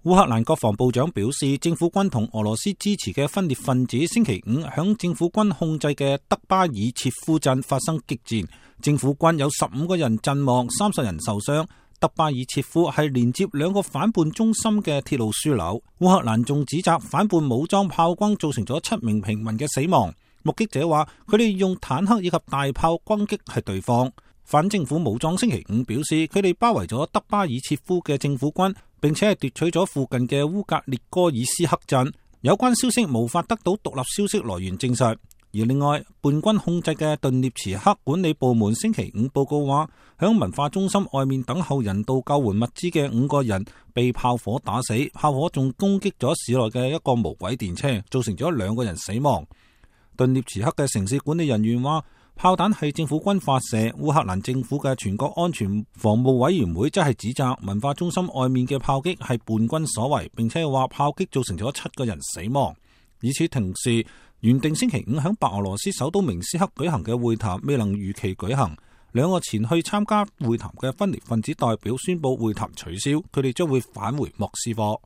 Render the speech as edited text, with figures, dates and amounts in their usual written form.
烏克蘭國防部長表示，政府軍同俄羅斯支持嘅分裂分子星期五響政府軍控制嘅德巴爾切夫鎮發生激戰，政府軍有15個人陣亡，30人受傷。德巴爾切夫係連接2個反叛中心嘅鐵路樞紐。烏克蘭仲指責反叛武裝炮轟造成咗7名平民嘅死亡。目擊者話，佢哋用坦克以及大炮攻擊係對方。反政府武裝星期五表示，佢哋包圍咗德巴爾切夫嘅政府軍，並且係奪取咗附近嘅烏格列戈爾斯克鎮。有關消息無法得到獨立消息來源證實。而另外，叛軍控制嘅頓涅茨克管理部門星期五報告話，響文化中心外面等候人道救援物資嘅5個人被炮火打死，炮火仲攻擊咗市內嘅一個無軌電車，造成咗2個人死亡。頓涅茨克嘅城市管理人員話，炮彈係政府軍發射。烏克蘭政府嘅全國安全防務委員會則係指責文化中心外面嘅炮擊係叛軍所為，並且話炮擊造成咗7個人死亡。與此同時，原定星期五響白俄羅斯首都明斯克舉行嘅會談未能如期舉行，2個前去參加會談嘅分裂分子代表宣布會談取消，佢哋將會返回莫斯科。